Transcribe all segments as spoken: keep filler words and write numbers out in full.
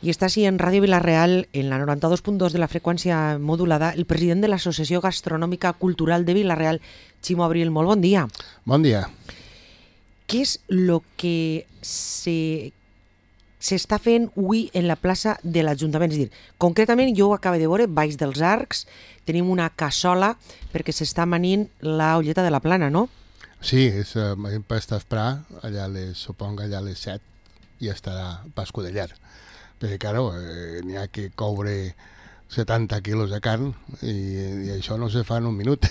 I està així en Ràdio Vila-real, en la noranta-dos punt dos de la freqüència modulada, el president de l'Associació Gastronòmica Cultural de Vila-real, Ximo Abril. Molt bon dia. Bon dia. Què és el que se... s'està fent avui en la plaça de l'Ajuntament? És a dir, concretament jo ho acabo de veure, baix dels arcs, tenim una cassola perquè s'està amanint la olleta de la Plana, no? Sí, és uh, per estar a esperar, allà les, supongo allà a les set, i estarà pas Codellar. Perquè, claro, eh, n'hi ha que coure setanta quilos de carn i, i això no se fa en un minut.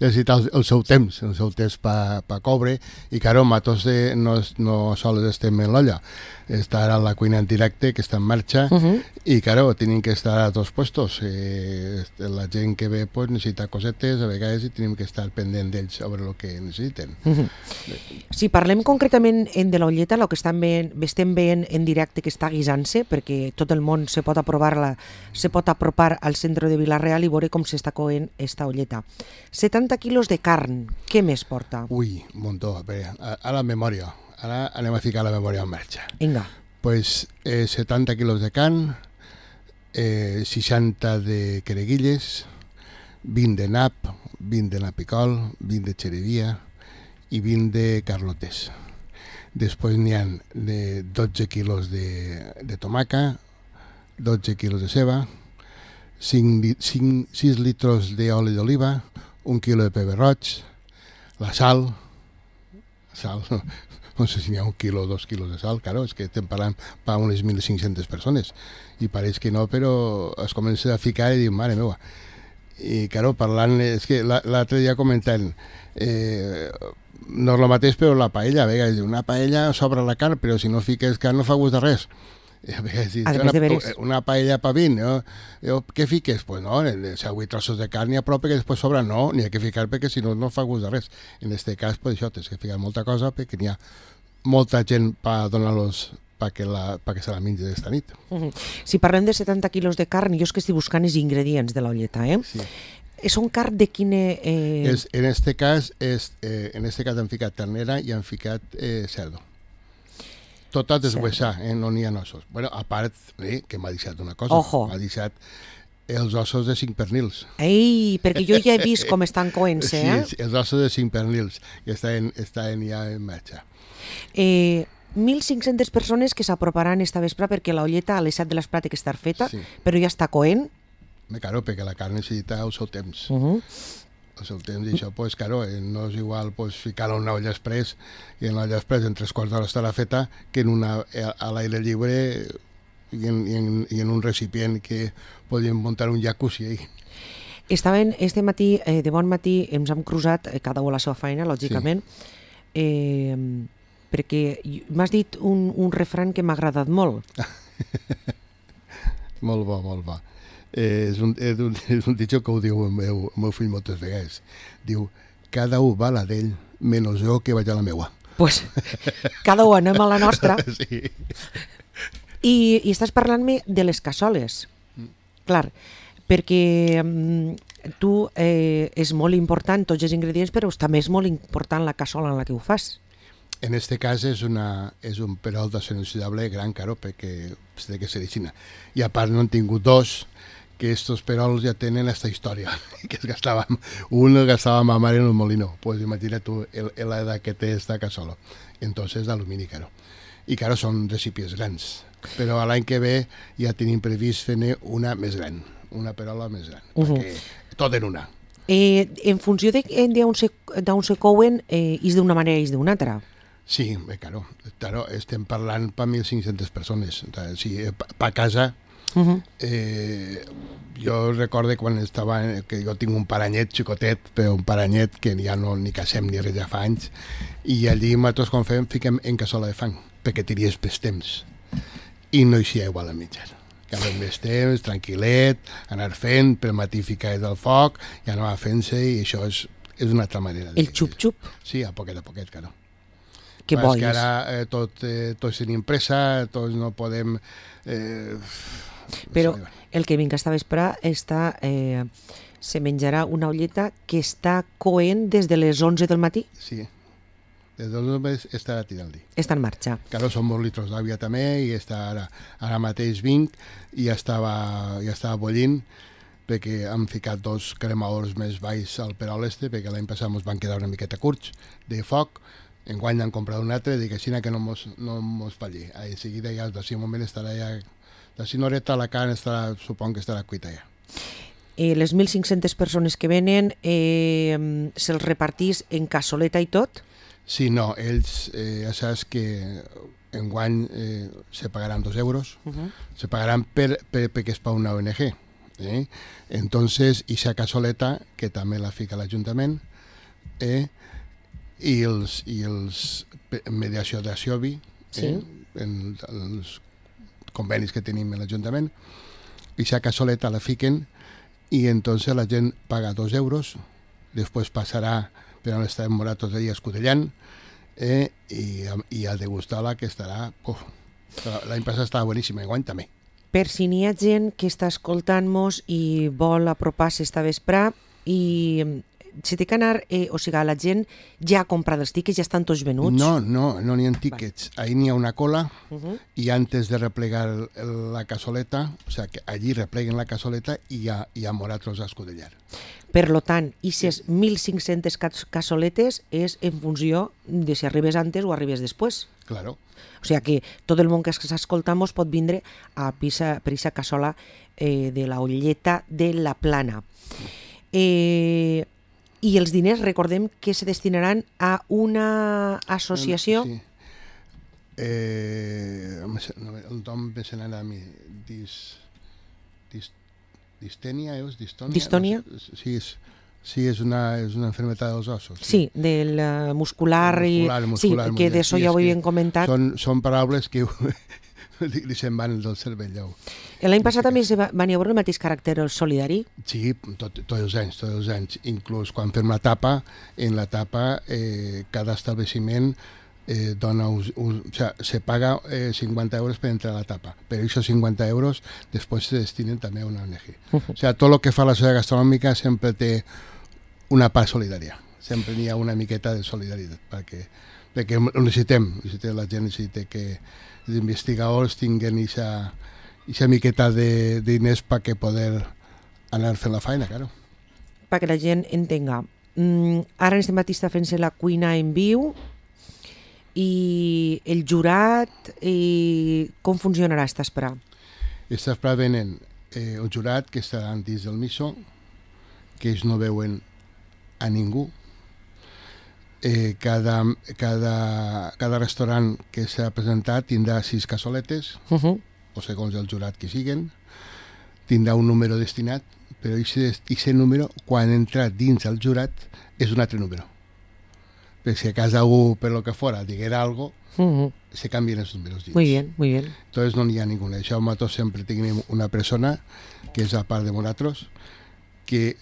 Necessita el, el seu temps, el seu temps per pa coure, i, claro, Matos de, no, no sols estem en l'olla, està ara la cuina en directe, que està en marxa, uh -huh. i, claro, tenim que estar a dos puestos. Eh, la gent que ve pues, necessita cosetes, a vegades, i tenim que estar pendent d'ells sobre el que necessiten. Uh -huh. Si parlem concretament de l'olleta, el que estem veient, estem veient en directe que està guisant-se, perquè tot el món se pot aprovar-la, se pot apropar al centre de Vila-real i veure com s'està coent esta olleta. setanta quilos de carn, què més porta? Ui, un muntó. Bé, a, a la memòria. Ara anem a ficar la memòria en marxa. Vinga. Pues eh, setanta quilos de carn, eh, seixanta de quereguilles, vint de nap, vint de napicol, vint de xerevia i vint de carlotes. Després n'hi ha de dotze quilos de, de tomaca, dotze quilos de ceba, cinc, cinc, sis litros d'oli d'oliva, un quilo de pebre roig, la sal, sal, no sé si n'hi ha un quilo o dos quilos de sal, claro, és que estem parlant per unes mil cinc-centes persones, i pareix que no, però es comença a ficar i diu, mare meva. I, claro, parlant, és que l'altre dia comentant, eh, no és el mateix, però la paella, a vegades, una paella sobra la carn, però si no fiques carn no fa gust de res. A vegades, una, de una paella pa vint, no? Jo, què fiques? Pues no, si vuit trossos de carn i a prop que després sobra, no, n'hi ha que ficar perquè si no, no fa gust de res. En aquest cas, pues això, tens que ficar molta cosa perquè n'hi ha molta gent per donar-los perquè perquè se la mengi d'esta nit. Uh -huh. Si parlem de setanta quilos de carn, jo és que estic buscant els ingredients de l'olleta, eh? Sí. Són carn de quina... Eh... És, en aquest cas, és, eh, en este cas han ficat ternera i han ficat eh, cerdo. Tot a deshuesar, eh? No n'hi ha ossos. Bueno, a part, eh, que m'ha deixat una cosa. Ojo. M'ha deixat els ossos de cinc pernils. Ei, perquè jo ja he vist com estan coent-se, eh? Sí, els ossos de cinc pernils, que estan, estan ja en marxa. Eh, mil cinc-centes persones que s'aproparan esta vespre perquè l'olleta a les set de les pràctiques està feta, sí. Però ja està coent. Claro, perquè la carn necessita el seu temps. Uh -huh. El seu temps, i això, pues, claro, no és igual pues, ficar-la en una olla express, i en l'olla express en tres quarts d'hora estarà feta, que en una, a l'aire lliure i en, i, en, i en un recipient que podríem muntar un jacuzzi ahí. Estaven este matí, eh, de bon matí, ens hem cruzat, eh, cada un a la seva feina, lògicament, sí. eh, perquè m'has dit un, un refrany que m'ha agradat molt. Molt bo, molt bo. Eh, és, un, és, un, és un ditxo que ho diu el meu, el meu fill moltes vegades. Diu, cada un va a la d'ell, menys jo que vaig a la meua. Pues, cada un anem a la nostra. Sí. I, i estàs parlant-me de les cassoles. Mm. Clar, perquè mm, tu eh, és molt important tots els ingredients, però també és molt important la cassola en la que ho fas. En este cas és, una, és un perol d'acció inoxidable gran, caro, perquè té que ser d'Ixina. I a part no han tingut dos, que estos perols ja tenen esta història, que es gastaven, un el gastava ma mare en el molino, pues imagina tu la edad que té esta cassola. Entonces d'alumini, caro. I caro, són recipients grans, però l'any que ve ja tenim previst fer una més gran, una perola més gran, uh -huh. perquè tot en una. Eh, en funció d'on se, se couen, eh, és d'una manera i és d'una altra. Sí, bé, claro, claro, estem parlant per mil cinc-centes persones, sí, per casa. Uh -huh. eh, jo recorde quan estava, que jo tinc un paranyet xicotet, però un paranyet que ja no ni casem ni res ja fa anys, i allí nosaltres quan fem fiquem en cassola de fang, perquè tenies més temps, i no hi ha igual a mitjar. Que amb més temps, tranquil·let, anar fent, per matí ficar del foc, i anar fent-se, i això és, és una altra manera. El xup-xup? Sí, a poquet a poquet, claro. Que bo és. Que ara eh, tot, eh, tots tenim pressa, tots no podem... Eh, Però el que vinc esta vespre està, eh, se menjarà una olleta que està coent des de les onze del matí? Sí, de dos mesos estarà tirant-li. Està en marxa. Claro, són molts litros d'aigua també i està ara, ara mateix vinc i ja estava, ja estava bullint perquè han ficat dos cremadors més baix al Perol este perquè l'any passat ens van quedar una miqueta curts de foc. Enguany han comprat un altre, dic així que no mos, no mos falli. A seguida ja, d'ací un moment estarà ja, d'ací una horeta la carn estarà, supon que estarà cuita ja. Eh, les mil cinc-centes persones que venen eh, se'ls repartís en cassoleta i tot? Sí, no, ells eh, ja saps que enguany eh, se pagaran dos euros, uh-huh. se pagaran per, per, perquè és per una O N G. Eh? Entonces, i esa cassoleta, que també la fica l'Ajuntament, eh? i els, i els mediació de Siobi, sí. eh? en els convenis que tenim en l'Ajuntament, i esa cassoleta la fiquen y entonces la gent paga dos euros, després passarà per on estarem moratos allà escudellant eh, i, i a degustar-la que estarà... Uf, l'any passat estava boníssima, enguany també. Per si n'hi ha gent que està escoltant-nos i vol apropar-se esta vesprà i se té que anar, eh, o sigui, la gent ja ha comprat els tiquets, ja estan tots venuts? No, no, no n'hi ha tiquets. Ahí n'hi ha una cola uh-huh. i antes de replegar la cassoleta, o sigui, que allí repleguen la cassoleta i hi ha, hi ha moratros a escudellar. Per lo tant, aquestes mil cinc-centes cassoletes és en funció de si arribes antes o arribes després. Claro. O sigui que tot el món que s'escoltamos pot vindre a pisa, per aquesta cassola eh, de la Olleta de la Plana. Eh, I els diners, recordem que se destinaran a una associació... Sí. Eh, el nom me se n'anà a mi. Dis, dis, distènia, és? Distònia? Distònia? Sí, és... Sí, és una, és una enfermedad dels ossos. Sí, sí del uh, muscular, muscular, i, muscular, sí, que d'això ja ho havíem comentat. Són, són paraules que li se'n van del cervell. L'any passat també va, van haver el mateix caràcter solidari? Sí, tot, tots els anys, tots els anys. Inclús quan fem la tapa, en la tapa eh, cada establiment eh, dona, un, un, o sea, se paga eh, cincuenta euros per entrar a la tapa, però aquests cincuenta euros després se destinen també a una O N G. Uh-huh. O sea, tot el que fa la societat gastronòmica sempre té una part solidària. Sempre n'hi ha una miqueta de solidaritat, perquè, perquè ho necessitem, necessitem, la gent necessita que els investigadors tinguin aquesta miqueta de diners perquè poder anar fent la feina, claro. Perquè la gent entenga. Mm, ara en este matí està fent-se la cuina en viu i el jurat, i com funcionarà esta espera? Esta espera venen eh, un jurat que estarà dins del miso, que ells no veuen a ningú. Eh, cada, cada, cada restaurant que s'ha presentat tindrà sis cassoletes, uh-huh. o segons el jurat que siguen, tindrà un número destinat, però aquest número, quan entra dins el jurat, és un altre número. Perquè si a casa algú, per lo que fora, diguera algo, uh-huh. se canvien els números dins. Muy bien, muy bien. Entonces no n'hi ha ningú. Això nosaltres sempre tenim una persona, que és a part de nosaltres, que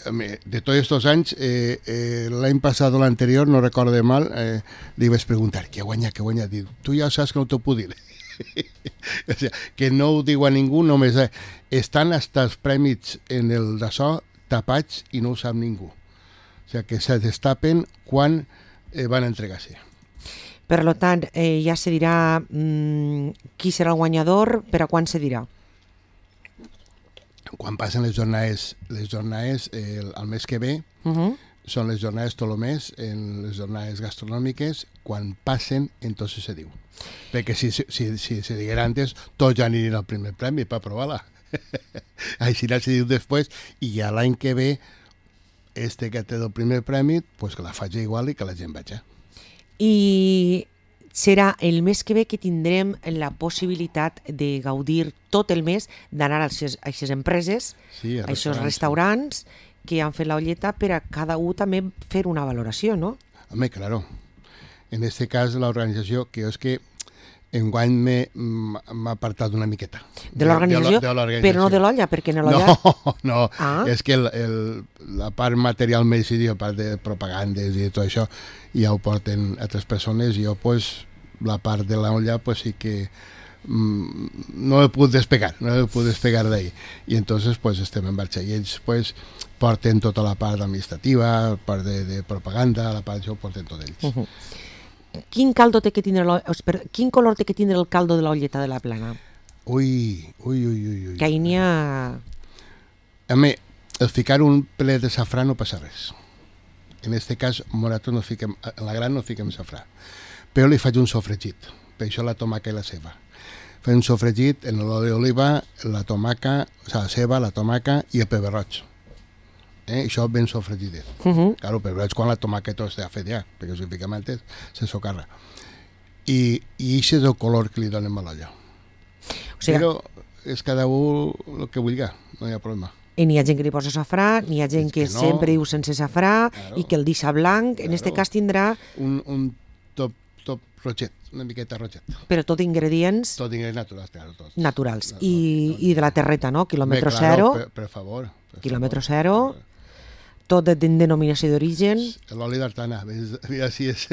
de tots aquests anys, eh, eh, l'any passat o l'anterior, no recordo mal, eh, li vaig preguntar, què guanya, què guanya? Diu, tu ja saps que no t'ho puc dir. O sigui, que no ho diu a ningú, només eh, estan hasta els prèmits en el d'açò tapats i no ho sap ningú. O sigui, que se destapen quan eh, van entregar-se. Per tant, eh, ja se dirà mmm, qui serà el guanyador, per a quan se dirà? Quan passen les jornades, les jornades eh, el, el mes que ve, uh-huh. són les jornades Tolomés, en les jornades gastronòmiques, quan passen, entonces se diu. Perquè si, si, si se diguera antes, tots ja anirien al primer premi per provar-la. Així se diu després, i ja l'any que ve, este que té el primer premi, pues que la faci igual i que la gent vagi. I serà el mes que ve que tindrem la possibilitat de gaudir tot el mes, d'anar a aquestes empreses, sí, a aquests restaurants que han fet la Olleta, per a cada un també fer una valoració, no? Home, claro. En este cas, l'organització, que és que enguany m'ha apartat una miqueta. De l'organització, però no de l'olla, perquè en l'olla... No, no, ah. és que el, el, la part material més, la part de propagandes i tot això, ja ho porten altres persones, i jo, pues, la part de l'olla, pues sí que mmm, no he pogut despegar, no he pogut despegar d'ahí. I entonces, pues, estem en marxa. I ells, pues, porten tota la part administrativa, la part de, de propaganda, la part d'això, ho porten tot ells. Uh-huh. quin caldo té que tindre l'o- espera, quin color té que tindre el caldo de l'olleta de la Plana? Ui, ui, ui, ui. ui. Que ahir n'hi ha... A mi, el ficar un ple de safrà no passa res. En este cas, morato no fiquem, en la gran no fiquem safrà. Però li faig un sofregit, per això la tomaca i la ceba. Faig un sofregit en l'oli d'oliva, la tomaca, o sigui, la ceba, la tomaca i el pebre roig. Eh? Això ben sofregidet. Uh -huh. Claro, però veig quan la tomaca tot està fet ja, perquè si fiquem antes se socarra. I, i això és el color que li donem a l'olla. O sigui, Però és cada un el que vulgui, no hi ha problema. i n'hi ha gent que li posa safrà, n'hi ha gent És que, que no. sempre diu sense safrà, Claro. i que el deixa blanc. En este Claro. cas tindrà, Un, un top, top roget, una miqueta roget. però tot ingredients Tot ingredients naturals, claro, tots. naturals. Tot, I, tot. i de la terreta, no? Quilòmetre Bé, claro, zero, Per, per favor. Per quilòmetre favor. zero, tot de denominació d'origen. L'oli d'Artana, mira si és...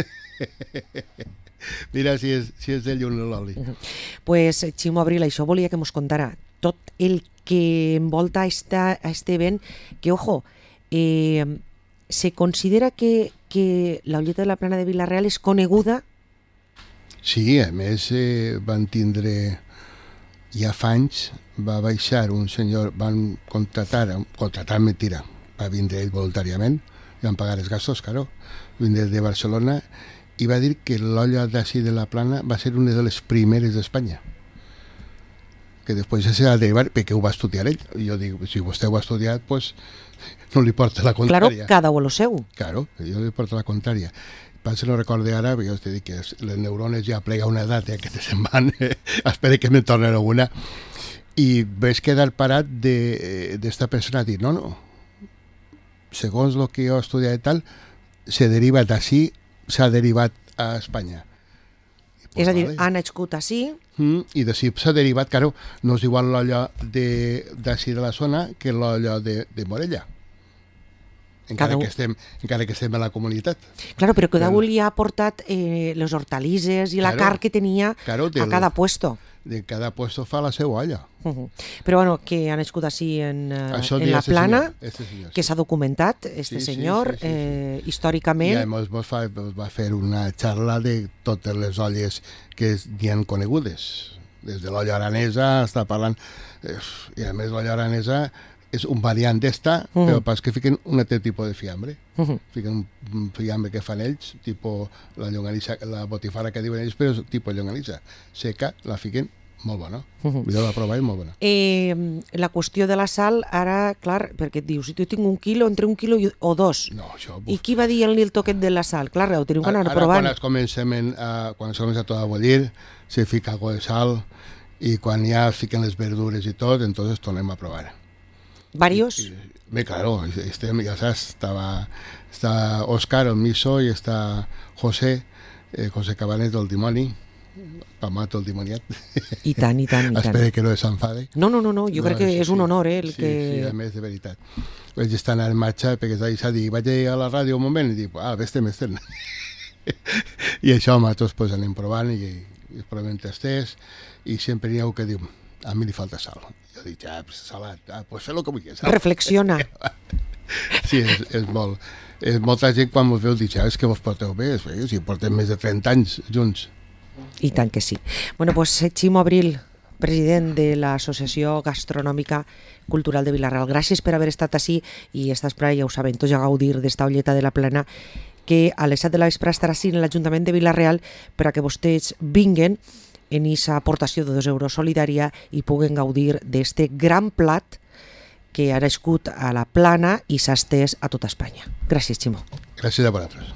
Mira si és, si és de llum l'oli. Pues, Ximo Abril, això volia que mos contara tot el que envolta esta, a este event, que, ojo, eh, se considera que, que la Olleta de la Plana de Vila-real és coneguda. Sí, a més eh, van tindre ja fa anys, va baixar un senyor, van contratar, contratar mentira, va vindre ell voluntàriament, i van pagar els gastos, claro, vindre de Barcelona, i va dir que l'olla d'ací de la Plana va ser una de les primeres d'Espanya, que després se va derivar, perquè ho va estudiar ell. I jo dic, si vostè ho ha estudiat, pues, no li porta la Claro, contrària. cada u lo seu. Claro, jo li porto la contrària. Passa, no recorde ara, perquè jo t'he dit que les neurones ja plega una edat, ja que te se'n van, espera que me tornen alguna, i ves quedar parat d'esta de, persona a dir, no, no, segons el que jo he estudiat i tal, se deriva d'ací, s'ha derivat a Espanya. I, pues, És a dir, vale. ha nascut així, Mm, I d'ací s'ha derivat, claro, no és igual l'olla d'ací de, de la zona que l'olla de, de Morella. Encara Cada un- que, estem, encara que estem a la comunitat. claro, però cada Del- un li ha aportat eh, les hortalisses i la Claro, carn que tenia claro, a del- cada puesto. De cada puesto fa la seva olla. Uh -huh. Però bueno, que ha nascut així en, eh, Això en deia la este Plana, senyor, este senyor, que sí. s'ha documentat, este Sí, sí, senyor, sí, sí, sí. eh, I històricament. a més vos fa, vos va fer una xarra de totes les olles que n'hi han conegudes. Des de l'olla aranesa està parlant... Eh, I a més l'olla aranesa és un variant d'esta, Mm. però pas que fiquen un altre tipus de fiambre. Uh -huh. Fiquen un- un fiambre que fan ells, tipus la llonganissa, la botifara que diuen ells, però és tipus llonganissa. Seca, la fiquen molt bona. Uh -huh. Millor la prova és molt bona. Eh, la qüestió de la sal, ara, clar, perquè et dius, si tu tinc un quilo, entre un quilo i, o dos, No, això... i qui va dir-li el toquet de la sal? Clar, ho tenim que anar Ara, provant. quan es comencem a, quan es comença tot a bullir, se fica algo de sal, i quan ja es fiquen les verdures i tot, entonces tornem a provar. Varios? Y, me claro, este, ya sabes, estaba, está Óscar, el miso, y está José, eh, José Cabanes del dimoni, Pamato el dimoniat. I tant, i tant, i tant. Espero que no s'enfade. No, no, no, no, jo No, crec que sí, és un sí. honor, eh, el sí, que... Sí, a més, de veritat. Vaig estar en marxa perquè s'ha dit, vaig a la ràdio un moment i dic, ah, vés-te'n, vés-te'n. I això nosaltres pues, anem provant i, i provem tasters i sempre n'hi ha un que diu, a mi li falta sal. Jo dic, ah, pues, salat, ah, pues fer el que vulguis. Sal. Reflexiona. Sí, és, és molt... És molta gent quan mos veu diu, ah, és que vos porteu bé, és, si portem més de trenta anys junts. I tant que sí. Bueno, pues Ximo Abril, president de l'Associació Gastronòmica Cultural de Vila-real, gràcies per haver estat així i estàs per ja ho sabem, tots a gaudir d'esta Olleta de la Plana que a les set de la vespre estarà així en l'Ajuntament de Vila-real per a que vostès vinguen en aquesta aportació de dos euros solidària i puguen gaudir d'este gran plat que ha nascut a la Plana i s'ha estès a tota Espanya. Gràcies, Ximo. Gràcies a vosaltres.